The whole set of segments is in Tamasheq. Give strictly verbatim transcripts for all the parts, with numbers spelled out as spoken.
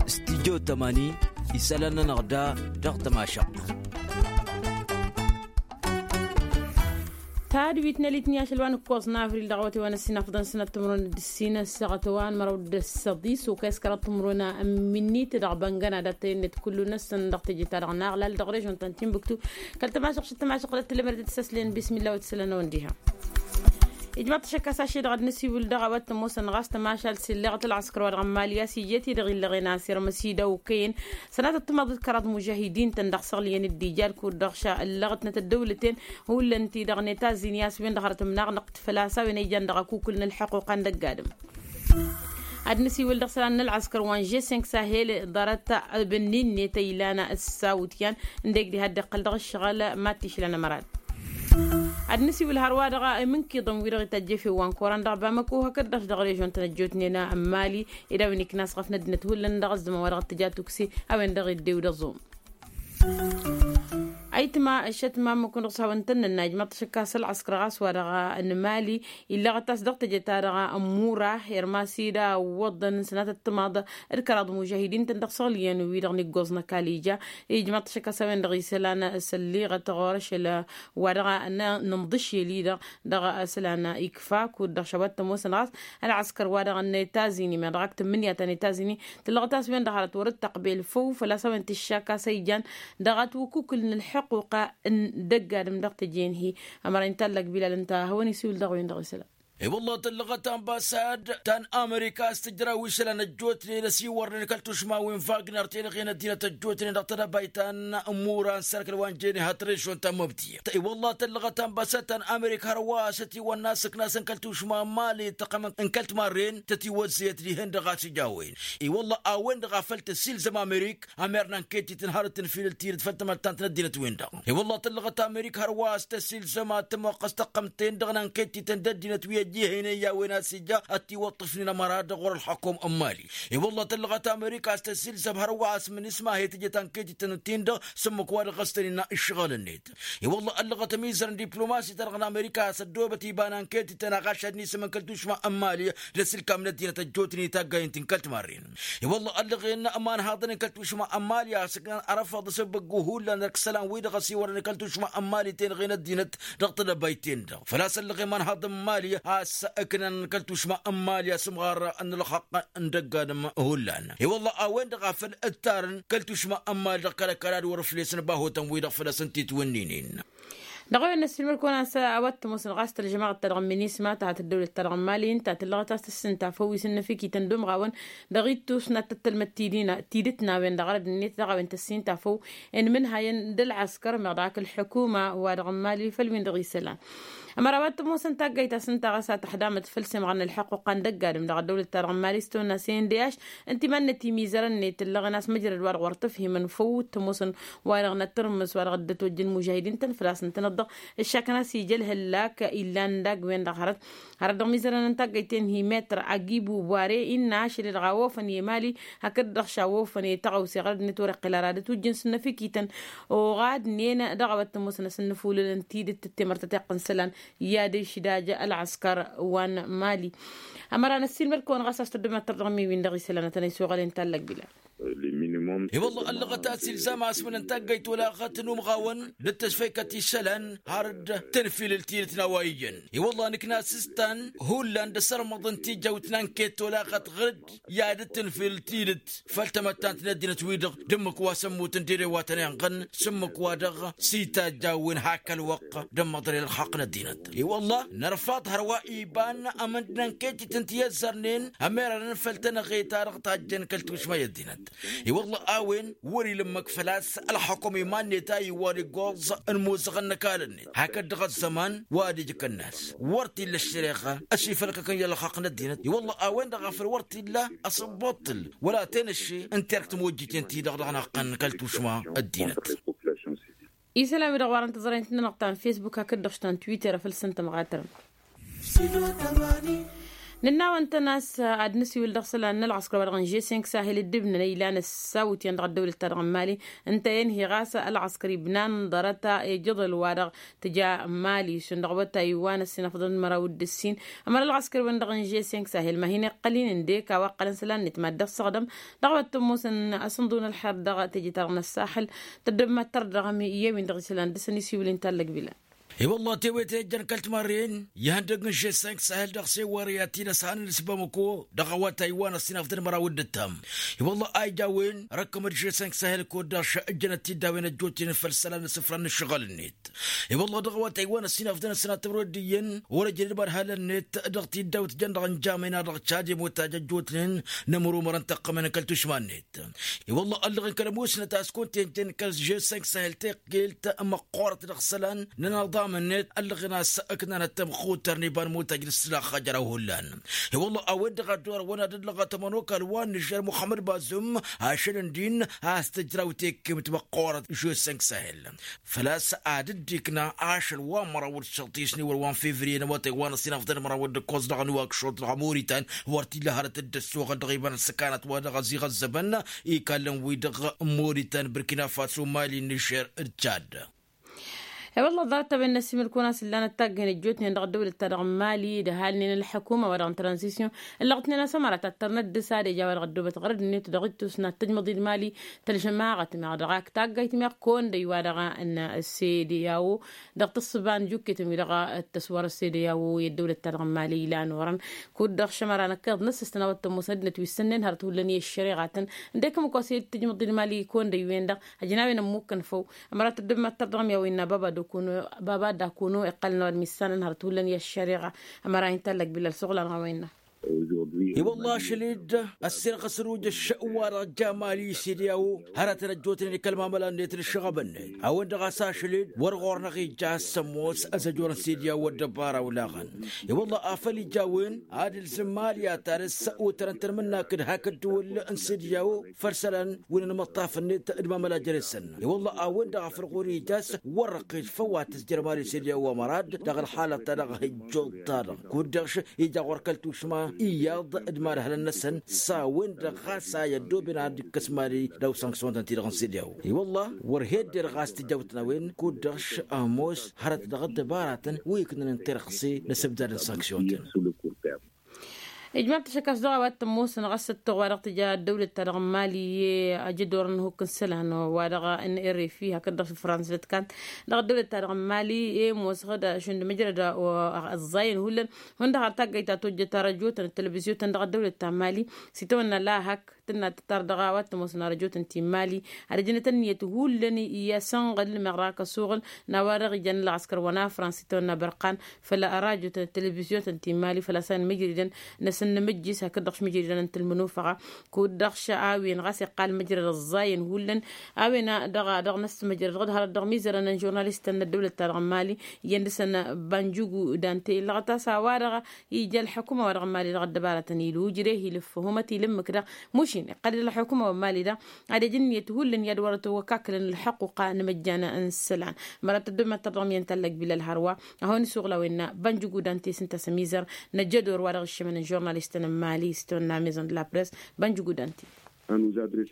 Stidyo tămani isălan-nănăɣ da dăɣ-tămašăɣt. Tadwit n-elit n-iyašăl wa n-ǝkkoẓ n-avril dăɣ-awătay wa n-ăssinafḍăn sănăt timǝrwen d-ǝssin ăssaɣăt wa n-măraw d-ăssăḍis okăy s-kăraḍ timǝrwen n-minnit dăɣ-băngăna dat-tăyănnet kullu-năsăn dăɣ-teje-ta-dăɣ n-aɣlal dăɣ-režon ta n-tinbuktu. Kăl-tămašăɣ šăt tămašăɣ tăt-tǝlmăr d-tǝsăslen bismilla wa t-isălan a-wen diha. Ijmaḍ tašăkka s-ašăl dăɣ-ad-nǝsiwǝl dăɣ-a-wa t-ămoosăn ɣas tămašalt s-illeɣăt ălɣăskăr wa dăɣ-n mali a-s ijjet-i-dăɣ illăɣen a-s irmăs-i d-awkăyăn sănatăt tǝmaḍ d-kăraḍ mužahidin-tăn dăɣ-săɣlǝyăn d-ija d-kud-dăɣ šăllăɣătnăt ăddăwlăten. Hullan-t-i-dăɣ n-etazini a-s wen-dăɣ hărăt ǝmnaɣnăɣ făl-a-s a-wen a ijan dăɣ-akukǝl n-ǝlḥăquqa n-dăgg-adǝm. Ad-nǝsiwǝl dăɣ-isălan n-ălɣăskăr wa n-že sănk sahel ḍarăt ăbănni-net a ilan ăssawǝt yan ǝndek diha dd-iqqăl dăɣ-ǝššăɣǝl mad-t-išlan ămărat. Ad-nǝsiwǝl hărwa-dăɣ imǝnkiḍăn wi-dăɣ ităjjăf i-wa n-koran dăɣ-bamăko hakd-dăɣ dăɣ-režon tăn-ăjjootnen n-mali ed a-wen ikna a-s ɣăf n-ăddinăt hullan dăɣ-ăzzăman wa dăɣ-t-tǝja tukse a-wen-dăɣ iddew d-ăẓum. Ayǝtma ăššăt ma ămmukǝn dăɣ-s hawăn-tăn-nănna ijmaḍ-t ašăkka s-ălɣăskăr ɣas wa-dăɣ n-mali. Illăɣăt a-s dăɣ-teje-ta-dăɣ n-mura irmas-i d-awwăḍăn sănatăt timaḍ d-kăraḍ mužahidin-tăn dăɣ-săɣlǝyăn-wi-dăɣ n-iggoẓ n-ăkall ija. Ijmaḍ-t ašăkka s-a-wen-dăɣ isălan sălliɣăt ɣur-ašăl wa-dăɣ n-inǝmḍǝšel-i-dăɣ dăɣ-isălan ikfa kud-dăɣ šawăt tămoosăn ɣas ălɣăskăr wa-dăɣ n-etazini meɣ dăɣ-ak tǝmmǝnǝya ta n-etazini. Tǝllăɣăt a-s wen-dăɣ hărăt wăr-dd-tăqbel făw făl-a-s a-wen tǝššak a-s a ijan dăɣ-at wǝkukǝl n-ǝlḥăquqa n-dăgg-adǝm dăɣ-teje n-hi. Ămăra inta allăg bilal ǝnta a hawăn-isiwǝl dăɣ-wen-dăɣ isălan. I-wălla tǝllăɣăt anbasad ta n-amerika a-s tǝjraw išălan ăjjootnen ăsiwărnen kăl-tušma wi n-vagner tenăɣen ăddinăt ăjjootnen dăɣ-tedăbayt ta n-mura n-sărkăl wa n-jene hat-režon ta n-măbdiyăt. I-wălla tǝllăɣăt anbasad ta n-amerika hărwa a-s ătiwănna asǝknas n-kăl-tušma n-mali tăqqăm n-kăl-timarren tătiwăzzăyăt dihen-dăɣ a-s ija a-wen. I-wălla a-wen-dăɣ a făl tăsilzăm amerik ămer n-anketităn har d-tǝnfilǝl tidǝt făll-tamăttant n-ăddinăt-wen-dăɣ. I-wălla tǝllăɣăt amerik hărwa a-s tăsilzăm ad-tămoqqăs tăqqămt-en-dăɣ n-anketităn d-ăddinăt wi ăjjihăynen i-a-wen a-s ija ad-t-iwăṭṭǝfnen ămăra dăɣ-wăr-ălxăkom n-mali. I-wălla tǝllăɣăt amerik a-s tăsilzăm hărwa a-s mǝnǝsmah i-tǝjăt anketităn-tin-dăɣ s-ǝmmǝk wa dăɣ-s tăn-innă ǝššăɣǝl-net. I-wălla ăllăɣăt ămizăr n-diplomasi-ta-dăɣ n-amerika a-s ăddoobăt iba n-anketităn a ɣaš ad-nisǝm n-kăl-tušma n-mali d-asǝlkam n-ăddinăt ăjjootnen i-taggayen ti n-kăl-timarren. I-wălla ăllăɣen imanhaḍăn n-kăl-tušma n-mali a-s ǝknan ărăfăḍ s-ăbbăggu hullan d-ăkk isălan wi-dăɣ ăsiwărăn kăl-tušma n-mali tenăɣen ăddinăt dăɣ-tedăbayt-ten-dăɣ făl-a-s ăllăɣ imanhaḍăn n-mali a-s ǝknan kăl-tušma n-mali asǝmɣar n-ălxăqq n-dăgg-adǝm. Hullan i-wălla a-wen-dăɣ a făl ǝttarăn kăl-tušma n-mali dăɣ-kăl-ăkall ad-wăr-ǝflesăn bahutăn-wi-dăɣ făl-a-s ǝnta itwǝnninen. Dăɣ-a-wen n-ăssiilmăr-kăwăn a-s a-wa t-ămoosăn ɣas tălžămaɣăt-ta-dăɣ n-minisma ta hat-ăddăwlăt-ta-dăɣ n-mali ǝnta tǝllăɣăt a-s tăssintafăw wi s-ǝnnăfikităn d-umɣawăn dăɣ-ittus n-ad-tăt-tălmăd tidǝt n-a-wen-dăɣ arăd-net dăɣ-a-wen tăssintafăw. Inmǝnhayăn d-ălɣăskăr meɣ dăɣ-ak ălḥukuma wa dăɣ-n mali făll-win-dăɣ isălan. Ămăra a-wa t-ămoosăn taggayt a-s ǝnta ɣas a tăxdamăt făll-semɣar n-ălḥăqquqa n-dăgg-adǝm dăɣ-ăddăwlăt-ta-dăɣ n-mali s-tăwănna s-e n d h. Ǝnta iman-net imizărăn-net ǝllăɣen a-s măjrăd wa dăɣ-wăr t-ăfhimăn făw t-ămoosăn wa-dăɣ n-ad-tărmǝs wa dăɣ-dd-ătwăjjăn mužahidin-tăn făl-a-s ǝntăneḍ-dăɣ ǝššakăn a-s ija ălhăllak illan dagg-wen-dăɣ hărăt. Hărăt dăɣ-mizărăn n-taggăyten hi-metr agibu bware innă ašăl-i-dăɣ a wofăn i-mali hakd-dăɣ šawofăn i-tăɣawse ɣărăd-net wăr-iqqǝl ara d-ătwǝjjǝn s-ǝnnăfikităn. Oɣadnen dăɣ-a-wa t-ămoosăn asǝnnǝfulǝl n-tidǝt d-temărtăt iqqǝn isălan i-ad-išdaj ălɣăskăr wa n-mali. Ămăra n-ăssiilmăd-kăwăn ɣas a-s tăddămăttăr dăɣ-emiwin dăɣ-isălan ad-tăn-isuɣălen tallăg bilal. I-wălla ăllăɣăt a-s ilzam asmǝn n-taggăyt olaɣăt n-umɣawăn d-tăsfăykăt isălan har d-tănfilǝl tidǝt n-a-wa iyyăn. I-wălla nǝkna s-ǝstan hullan d-asărmăḍ n-tijăwt n-anket olaɣăt ɣǝr-dd i-ad-tănfilǝl tidǝt făll-tamăttant n-ăddinăt-wi-dăɣ d-ǝmmǝk wa s-ămmutăn d-ere wa tăn-inɣăn s-ǝmmǝk wa dăɣ-s itajj a-wen hak ălwăqq d-ămmăḍrel ălxaqq n-ăddinăt. I-wălla nărfaḍ hărwa iba n-amǝnd n-anketităn ti ăzzărnen ămerarăn făll-tănăɣe-ta-dăɣ tajjăn kăl-tušma i-ăddinăt. I-wălla a-wen wăr-ila ǝmmǝk făl-a-s ălxăkum iman-net a iwwăr iggoẓ n-imuzăɣăn n-ăkall-net hakd-dăɣ ăzzăman wa d-ijkănnas wăr t-illa ăššăreɣa ăsifălkăkăn i-ălxaqq n-ăddinăt. I-wălla a-wen-dăɣ a făl wăr t-illa asǝbbuṭṭǝl wăla tenăšše n-terk timojjiten-ti-dăɣ dăɣ-năqqăn kăl-tušma ăddinăt. Isălan-wi-dăɣ wa dăɣ-tǝẓrăyăn-tăn-dăɣ ta n-fesbuk hakd-dăɣ ta n-twitter a făl săn tămɣatărăn. Nǝnn'-awăn-tăn a-s ad-nǝsiwǝl dăɣ-isălan n-ălɣăskăr wa-dăɣ n-žesenk sahel dd-ibnăn ăylan ăssawǝtyan dăɣ-ăddăwlăt-ta-dăɣ n-mali. Ǝnta i-ănhăy ɣas ălɣăskăr ibnan ḍarăt ijǝḍǝl wa-dăɣ tǝja n-mali šund dăɣ-awătay wa n-ăssinăfḍăn d-măraw d-ǝssin. Ămăra ălɣăskăr-wen-dăɣ n-žesenk sahel ma hin-iqqăl-in ǝndek a-wa ǝqqălăn isălan-net mad-dd-ăssăɣdăm dăɣ-awăt tămmusăn asǝnḍu n-ălxer dăɣ-teje-ta-dăɣ n-ăssaxǝl. Tăddăbmat tărdăɣăm i-ewin dăɣ-isălan dăr-săn isiwǝl-in tallăg bila. I-wălla tewete ijjăn kăl-timarren ihăndăg n-žesenk sahel dăɣ-sewăre ad-t-in-ăshănăn s-bamăko dăɣ-awătay wa n-ăssinăfḍăn măraw d-ǝttam. I-wălla a ija a-wen răkkăm-dd žesenk sahel kud-dăɣ š-ǝjjănăt-t-dd a-wen ăjjootnen făll-isălan n-isǝfran n-ǝššăɣǝl-net. I-wălla dăɣ-awătay wa n-ăssinăfḍăn ăssinatămrăw d-iyyăn wăr-ăjrăd imărhalăn-net dăɣ-tiddawt jăn dăɣ-nǝjamăyna dăɣ-cad i-muttaj ăjjootnen n-ămăr umărăn tăqqămăn n-kăl-tušma-net. I-wălla ăllăɣen kăl-ămoosnăt a-s kăwăn-t-enjăn kăl-žesenk sahel teqqelt măqqoorăt dăɣ-isălan n-ănaḍam-net ăllăɣen a-s ǝknanăt tămxutăr n-iba n-imuttaj n-ǝssǝlax ajăraw hullan. I-wălla a-wen-dăɣ a dd-orăwăn ad-ăllăɣăt ămănokal wa n-nižer muxămmăd bazum ašăl ǝndin a-s tǝjraw tekkemt măqqoorăt žesenk sahel. Făl-a-s ad-dd-ikna ašăl wa n-măraw d-săḍis n-iwăr wa n-fevriye n-awătay wa n-ăsinăfḍăn măraw d-ǝkkoẓ dăɣ-ăniwak šuḍ dăɣ-muritan wăr t-illa hărăt dd-ăssoɣăl dăɣ-iba n-ăssăkanăt wa dăɣ-ăziɣ ăzzăbăn ikalăn-wi-dăɣ n-muritan bărkina faso mali n-nižer d-cad. E-wălla ḍarăt-a-wen n-ăsimǝl-kăwăn-asǝllanăt taggăyăn ăjjootnen dăɣ-ăddăwlăt-ta-dăɣ n-mali d-ăhalnen ălḥăkuma wa dăɣ-n tranzisyon ǝllăɣ-tnen a-s ămăra tattărnăt dăr-s ad-eja wa dăɣ-ăddoobăt ɣărăd-net dăɣ-ittus n-ad-tǝjmăḍ-dd mali tălžămaɣăt meɣ dăɣ-ak taggayt meɣ kăwăn-dăy wa dăɣ-n sede yawo dăɣ-tǝssǝba n-jukket-wi-dăɣ. Tăswărăt sede yawo i-ăddăwlăt-ta-dăɣ n-mali ilan orăn kud-dăɣ šămăra năkkeḍ n-ăssistăn a-wa t-ămoosăn ăddinăt wi s-sănnen hărăt hullan i-ăššăreɣa-tăn ǝndek ǝmmǝk wa s-e-dd tǝjmǝḍ-dd mali kăwăn-dăy-wen-dăɣ. Ăjnawen ămmukkăn făw ămăra tăddăbmat tărdăɣăm i-a-wa innă baba d-akunu baba d-akunu iqqălăn a-wa d-missanăn hărăt hullan i-ăššăreɣa. Ămăra hin-tallăg bilal s-oɣlan a-wa innă. I-wălla ašăl-dd ăssirɣăs rujăš wa-dăɣ ǝjja mali s-ed i-a-wo hărătăn ăjjootnen i-kăl-mamăla-net d-ǝššăɣăb-net a-wen-dăɣ a-s ašăl-dd wăr ɣur-năɣ ija a-s ămoos ăzăjorăn s-ed i-a-wo ăddăbara olaɣăn. I-wălla afăl ija a-wen ad-ǝlzǝm mali ad-tarǝs otărăn tănmǝnnak d-hak ǝddǝwǝl n-s-ed i-a-wo făll-isălan wi n-anmăṭṭaf-net d-mamăla jere-săn. I-wălla a-wen-dăɣ a făl ɣur-ija a-s wăr-răqqet făw ad-tǝzjăr mali s-ed i-a-wo ămăra-dd dăɣ-ălxalăt-ta-dăɣ hijjuḍ-ta-dăɣ kud-dăɣ š-ija ɣur-kăl-tušma iyyăḍ d-imadhălăn-năsăn s-a-wen-dăɣ ɣas a i-ăddooben ad-dd-ikkăs mali daw-sanksyon-tăn-ti-dăɣ n-s-ed i-a-wo. I-wălla wăr hedded ɣas tǝjawt n-a-wen kud-dăɣ š-ămoos hărăt dăɣ-ăddăbaratăn wi ǝknăn n-tirɣse n-asǝbdad n-sanksyon-tăn. Ijmaḍ-t ašăk a-s dăɣ-a-wa t-ămoosăn ɣas ăttoɣ wa dăɣ-tǝja ăddăwlăt-ta-dăɣ n-mali i-ajădor n-hukk n-isălan wa dăɣ-n rfi hakd-dăɣ s-fransa d-kant dăɣ-ăddăwlăt-ta-dăɣ n-mali i-ămoosăɣ-dd šund măjrăd ăẓẓayăn hullan. Hundăɣ har taggayt ta tojjăt arăjotăn d-televizyon-tăn dăɣ-ăddăwlăt ta n-mali s-itawănna lahăk tǝnna tǝttar dăɣ-a-wa t-ămoosăn arăjotăn ti n-mali ad-ăjnăt ǝnniyăt hullan i-asănɣǝl meɣ dăɣ-ak ăsuɣǝl n-a-wa-dăɣ ijăn ălɣăskăr wa n-afrans itawănna bărqan făll-arajotăn d-televizyon-tăn ti n-mali făl-a-s a-wen mǝjridăn n-asǝnnǝmǝjjis hakd-dăɣ š-mǝjridăn n-tǝlmǝnufăɣa. Kud-dăɣ š-a-wen ɣas iqqal mǝjrăd ăẓẓayăn hullan a-wen dăɣ-a dăɣ-năssǝmǝjrăd dăɣ-dd-hărăt dăɣ-imizărăn n-žurnalistăn n-ăddăwlăt-ta-dăɣ n-mali iyyăn dăr-săn banjugu dante ǝllăɣăt a-s a-wa-dăɣ ija ălḥukuma wa dăɣ-n mali dăɣ-ăddăbaratăn ilu ǝjreh ilǝffăhumăt ilǝmmǝk dăɣ-mušin iqqăl-dd ălḥukuma wa n-mali dăɣ-ad-ijǝnniyăt hullan i-ad-wărăt wăkakǝlăn ălḥăqquqa n-imăjjan n-isălan. Măra tăddobmet tărdăɣ miyăn tallăg bilal hărwa a hawăn-isuɣǝl a-wen n-banjugudante s-ǝnta s-ămizăr n-ăjjădor wa dăɣ-ǝššămăn n-žurnalistăn n-mali s-tawănna maison de la press. Banjugudante.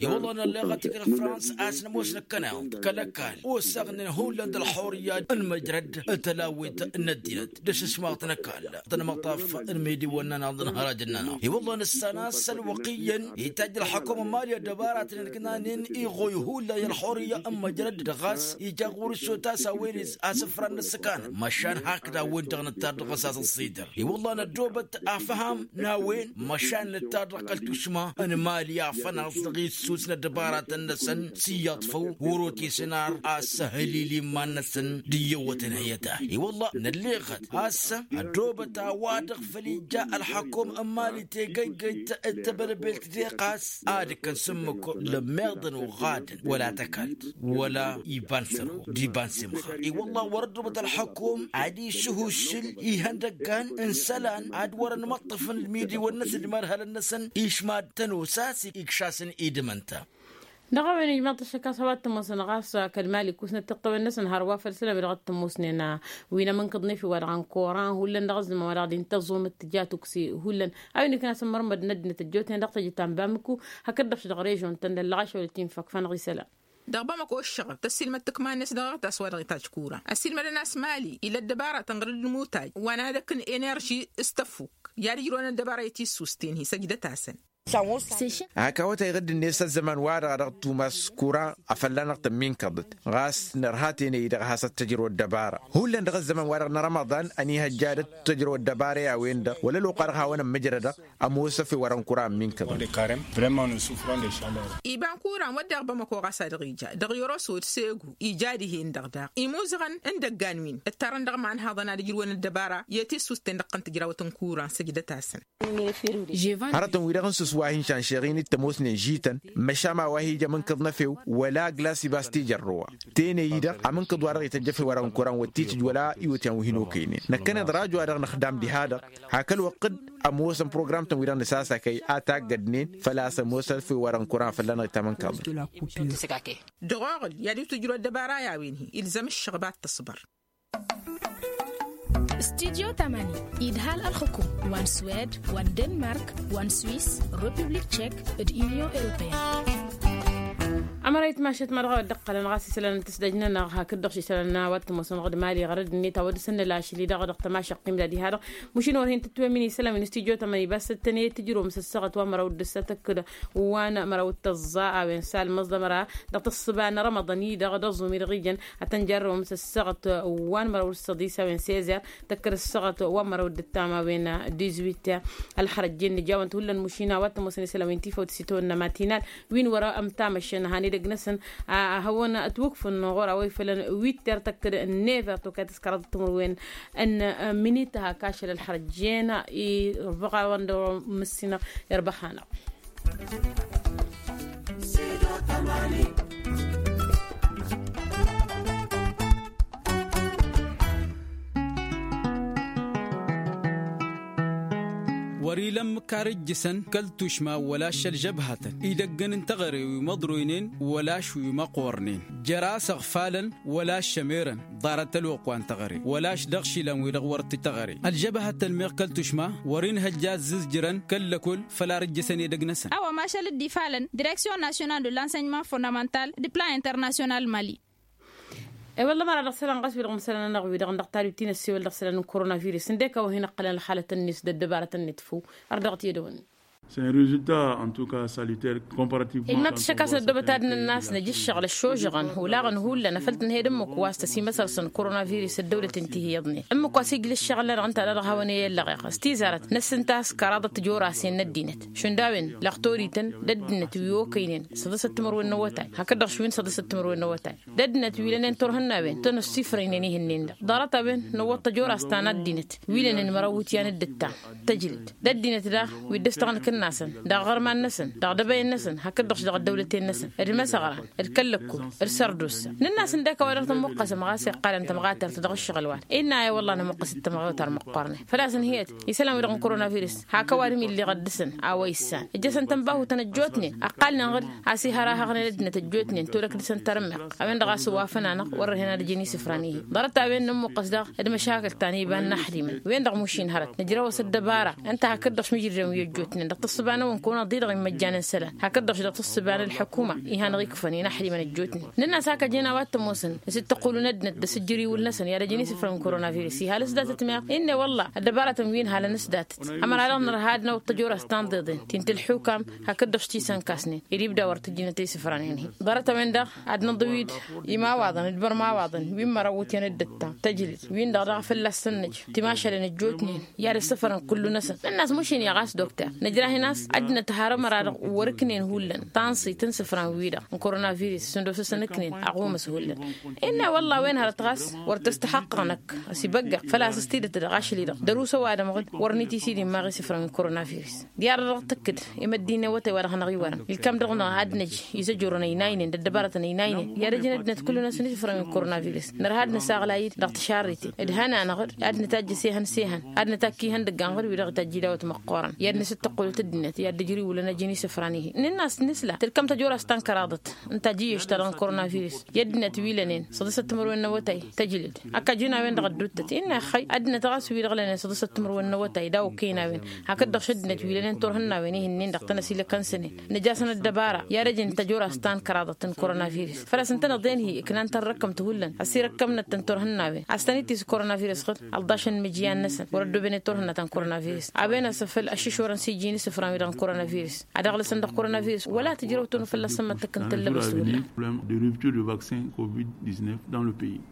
I-wălla nălleɣăt i-kăl-frans a-s nămoos năkkăneḍ kăl-ăkall osăɣnen hullan d-ălxurǝyya n-măjrăd n-tălawit n-ăddinăt d-asǝsmaɣ-t n-ăkall d-anămăṭṭaf n-imidi wa n-nănaḍ n-hăraj-nănăɣ. I-wălla nǝssan a-s ălwăqq iyyăn itajj ălxăkum n-mali ăddăbaratăn ǝlkǝnanen iɣoy hullan i-ălxurǝyya n-măjrăd dăɣ-a-s ija ɣur-s otas a-wen asǝfran n-ǝssǝkanăn măšan hakd a-wen-dăɣ nǝttar dăɣ-s a-s ăẓẓidăr. I-wălla năddoobăt afham n-a-wen măšan nǝttar dăɣ-kăl-tušma n-mali afănaẓ dăɣ-issus n-ăddăbaratăn-năsăn s-iyyăḍ făw wăr-otesăn ar asăhǝlil iman-năsăn d-iyyăwătăn heyăt-a-hi wălla nălleɣăt a-s ăddoobăt a-wa-dăɣ făl ija ălxăkum n-mali tegăygăyt d-tebălbelt deɣ ɣas ad-ǝkkăn s-ǝmmǝk lămmeḍăn oɣadăn wăla tăkalt wăla iba n-sărho d-iba n-simxar i-wălla wăr-ăddoobăt ălxăkum ad-isǝhušǝl ihăndăggan n-isălan ad-wăr-ănmăṭṭăfăn ălmidiwăn-năsăn d-imadhălăn-năsăn išmad-tăn osas ikšasăn idǝm ǝnta. Dăɣ-a-wen ijmaḍ-t ăššăk a-s a-wa t-ămoosăn ɣas kăl-mali kusnăt tiṭṭăwen-năsăn hărwa făll-isălan wi dăɣ-t-ămoosnen wi n-amǝnkǝḍ n-efew wa dăɣ-n koran hullan dăɣ-ăzzăman wa dăɣ-dd-intăẓẓum ǝttǝja tukse hullan a-wen ikna s-ămmărmăd n-ăddinăt ăjjootnen dăɣ-tejǝt ta n-bamǝku hakd-dăɣ-š dăɣ-režon-tăn d-ăllăɣaš wa dăɣ-t-infăk fanăɣ isălan. Dăɣ-bamăko ǝššăɣǝl tăssiilmăd tǝkma-net dăɣ-tas wa dăɣ-itajj kura ăssiilmădăn a-s mali ila ăddăbaratăn ɣǝr-dd n-imutaj wa n-ad-ăkk n-enerži s-tăffuk i-ad-ǝjrǝwăn ăddăbara i-tissusten hi-săjdăt-asăn. Hak awătay ɣǝdd-net s-ăzzăman wa dăɣ-a dăɣ-tumas kura afălla-năɣ tămminkăḍăt ɣas nărha tenăy-i-dăɣ a has-ăttăjrăw ăddăbara hullan dăɣ-ăzzăman wa dăɣ-nărămăḍan ănihăjja ad-ăttăjrăw ăddăbara i-a-wen-dăɣ wăla ălwăqq wa dăɣ-a hawăn-ămmǝjrădăɣ. Ămoos efew wa dăɣ-n kura ămminkăḍăt. Iba n-kura n-wădden bamăko ɣas a dăɣ-ija dăɣ-yăros wăd segu ija dihen-dăɣ daɣ imuzăɣăn n-idăggan wi n-ǝttarăn dăɣ-imanhaḍăn ad-ǝjrǝwăn ăddăbara i-tissust-ten dăɣ-tăn-tǝjrawăt n-kura n-săjdăt-asăn. Hărătăn-wi-dăɣ n-sǝs wa hin-šanšeɣ-in d-tămoosnen žităn măšan ma wa hi-ija amǝnkǝḍ n-efew wăla aglas ibas tijărrăwa tenăy-i-dăɣ amǝnkǝḍ wa dăɣ-ităjj efew wa dăɣ-n kura n-wăr t-itǝjj wăla iwǝtyan wi hin-okăynen năkkăneḍ rajo a dăɣ-năxdam diha-dăɣ. Hak ălwăqq ămoosăn program-tăn-wi-dăɣ nǝsasakăy a taggădnen făl-a-s ămoosăn efew wa dăɣ-n kura fălla-năɣ itamănkăḍnen. Dăɣ-oɣǝl i-ad-itǝjrǝw ăddăbara i-a-wen-hi ilzăm ǝššăɣb ad-tăṣbăr. Studyo tamani idhal ălxǝkum wa n-swed wa n-denmark wa n-swis, republik tšek, d-union europeyăn. Ămăra itmašăt ma dăɣ-a wăr dd-ǝqqălăn ɣas isălan n-tǝsdăj-nănăɣ hakd-dăɣ s-isălan n-a-wa t-tămoosăn dăɣ-d mali ɣărăd-net a wăr dăr-săn nălašli dăɣ-dăɣ tămašăɣt timdad iha-dăɣ. Măšin wăr hin-tǝtwămmin isălan wi n-studyo tamani bas ǝttăn i-tǝjrǝwăm s-ăssaɣăt wa n-măraw d-ǝssăt ǝkkǝd wa n-măraw d-tăẓẓa a-wen s-almăẓ d-ămăra dăɣ-tǝssǝba n-rămăḍăn-i-dăɣ d-ăẓẓum-i-dăɣ ijăn ad-tăn-jarrăwăm s-ăssaɣăt wa n-măraw d-săḍis a-wen s-ezăr tăkkăd ăssaɣăt wa n-măraw d-ǝttam a-wen. Dizwit ălxărăjjen nǝjawăn-t hullan măšin a-wa t-ămoosăn isălan wi n-tifăwt s-itawănna matinal wi n-wăr-ămm tamăššen han edăgg-năsăn a hawăn-ătwǝkfǝn ɣur-a-wa ifălăn witter tăkkăd n-never tokayt s-kăraḍăt timǝrwen n-minit hak ašăl ălxărăjjen irbăɣ a-wa n-dăɣ-mǝssinăɣ irbăɣ hanăɣ. Wăr-ila ǝmmǝk ar ǝjjǝsăn kăl-tušma wăla ašăl žăbhatăn idăggăn n-teɣăre wi măḍroynen wăla ašwi măqqornen jer-a-s ăɣfalăn wăla aššămerăn ḍarăt ălwăqq wa n-teɣăre wăla ašdăɣ išilan-wi-dăɣ wăr t-teɣăre ălžăbhătăn meɣ kăl-tušma. Wăr-in hăjja ăzzǝzjǝrăn kăl-lăkol făl ar ǝjjǝsăn edăgg-năsăn. A-wa mašal dd-ifalăn direksyon nasyonal de l-ansănyman fondamental d-plan internasyonal mali. E-wălla măra dăɣ-isălan ɣas wi-dăɣ mǝsălan-anăɣ wi-dăɣ n-dăɣ-tadwit ti n-ăssiwăl dăɣ-isălan n-koronavirus ǝndek a-wa hin-ăqqălăn ălxalăt-net d-ăddăbarăt-net făw. Ar dăɣ-t i-dăwănne. Sănrǝzǝlta ăntuka salităr. Komparatǝv. Innă tǝššăk a-s ăddobăt ad-nǝnn'-as nǝj' ǝššăɣǝl ăššožăɣăn olaɣăn hullan afăl tǝnhăyăd ǝmmǝk wa s-tăsimăsărsăn koronavirus ăddăwlăt-in ti hi-iyyăḍnen ǝmmǝk wa s-ijlǝššăɣǝl-nănăɣ ǝnta a dăɣ-hawăn-e-ăllăɣeɣ s-tizarăt năssǝnta a-s kăraḍăt tijorase n-ăddinăt šund a-wen lăɣtorităn d-ăddinăt wi okăynen săḍǝsăt timǝrwen n-awătay hakd-dăɣ šwin săḍǝsăt timǝrwen n-awătay. D-ăddinăt wi lănen turhǝnnawen tăn-ăssifrăynen ihǝnnin-dăɣ ḍarăt-a-wen năwwăḍ tăjorast ta n-ăddinăt wi lănen măraw iwǝtyan d-ǝttam tăjlǝd d-ăddinăt daɣ wi dd-ăstăɣnăk-năsăn dăɣ-iɣărman-năsăn dăɣ-idăbăyăn-năsăn hakd-dăɣ-š dăɣ-ăddăwlăten-năsăn d-imăsăɣran d-kăl-lăkkul d-sărdusa. Nǝnn'-as ǝndek a-wa dăɣ-tămmuqqăsăm ɣas iqqalăn tămɣatert dăɣ-ǝššăɣǝl-wa innă a-i wăllah nămuqqăs d-tamɣewt ar măqqoornen făl-a-s ǝnhǝyăt isălan-wi-dăɣ n-koronavirus. Hak ăwadǝm illeɣăt dăɣ-săn a-wa issan ǝjjăsăn-tăn bahutăn ăjjootnen ăqqalnen ɣǝd a-s ihărahăɣnen ăddinăt ăjjootnen tolăk dăɣ-săn tărǝmmeɣt a-wen-dăɣ a-s ăwafăn-anăɣ wăr-ărhen ad-ǝjǝn isǝfran-i-hi. Ḍarăt a-wen nămmuqqăs daɣ d-măšakǝl ta n-iba n-inaxdimăn wen-dăɣ mušin hărăt nǝjrăw-as ăddăbara ǝnta hakd-dăɣ-š mǝjrǝdăn wi ăjjootnen dăɣ-tǝssǝba-năwăn kăwăn-ăḍḍi-dăɣ immăjjan n-isălan hakd-dăɣ-š dăɣ-tǝssǝba n-ălḥukuma ihăn-dăɣ ikfăn inaxdimăn ăjjootnen. Nǝnn'-as hak ăjăn a-wa t-ămoosăn s-dd-tăqqulun ăddinăt d-asǝjjǝr iwǝl-năsăn i-ad-ăjǝn isǝfran n-koronavirus ihal s-datăt meɣ. Innă wălla ăddăbarătăn wi n-halăn s-datăt ămăra-dăɣ nărha ad-năwăḍ tăjorast ta n-iḍeḍen ti n-tălḥukam hakd-dăɣ s-tisănkasnen ed ibda wăr tǝjjǝnăt isǝfranen-hi. Ḍarăt-a-wen-dăɣ ad-nǝḍǝwid imawaḍăn d-bărmawaḍăn wi n-măraw iwǝtyan d-ǝttam tăjlǝd-win-dăɣ daɣ fălla-s săn-năj timašalen ăjjootnen i-ad-ăssăfărăn kullu-năsăn. Nǝnn'-as mušin i-ɣas dokter nǝjrah-in a-s ăddinăt har ămăra-dăɣ wăr-ǝknen hullan tanṣit n-isǝfran wi-dăɣ n-koronavirus šund osăsăn ǝknen aɣumǝs hullan. Innă wălla a-wen hărăt ɣas wăr t-ăstăxăqqăɣ năkk ăsibăggăɣ făl-a-s s-tidǝt dăɣ-ašăl-i-dăɣ dăr-usăw adămɣǝd wăr nit'-isidimaɣ isǝfran wi n-koronavirus. Diarăt dăɣ-tǝkkǝd i-măddin n-awătay wa dăɣ-hanăɣ-iwărăn ilkam-dăɣ-năɣ ad-năj izăjurăn ăynaynen d-ăddăbarătăn ăynaynen i-ad-ăjǝn ăddinăt kullu-năsăn isǝfran wi n-koronavirus. Nărha ad-nǝsaɣlay-dd dăɣ-tǝšarriten d-ihăn-anăɣ-dd ad-nǝtajj s-ehăn s-ehăn ad-nǝtakk ihăndăgg-anăɣ-dd wi-dăɣ itajj idawăt măqqoorăn i-ad-nǝsǝttăqqulăt. Ăddinăt i-ad-dd-ǝjrǝy wǝlăn ăjin isǝfran-i-hi nǝnn'-as nǝsla tǝlkăm tăjorast ta n-kăraḍăt ǝnta a iji ăšta dăɣ-n koronavirus. I-ăddinăt wi lănen săḍǝsăt timǝrwen n-awătay tăjlǝd. Ăkk ajǝn a-wen-dăɣ ădduuttăt innă ixxăy ăddinăt ɣas wi-dăɣ lănen săḍǝsăt timǝrwen n-awătay daw-ăkkăyăn a-wen. Hakd-dăɣ šăddinăt wi lănen turhǝnnawen ihǝnnin-dăɣ tăn-ăsilăkăn sănen nǝj'-asăn ăddăbara i-ad-ăjǝn tăjorast ta n-kăraḍăt n-koronavirus. Făl-a-s ǝntăneḍ-en-hi ǝknan-tăn răkkăm tihullan ăsirăkkăm-năt tăn-turhǝnnawen a-s tăn-itis koronavirus xǝd ălḍašăn imǝjǝyan-năsăn wăr-ăddooben i-turhǝnna ta n-koronavirus. A-wen asăfăl ăššǝšorăn s-iji n-isǝfran-wi-dăɣ n-koronavirus. Ad-ăɣlǝsăn dăɣ-koronavirus wăla tǝjrăw tănnu fălla-săn măttăk n-tăllăbăst wălla. De rupture de vaccin covid-dix-neuf dans le pays.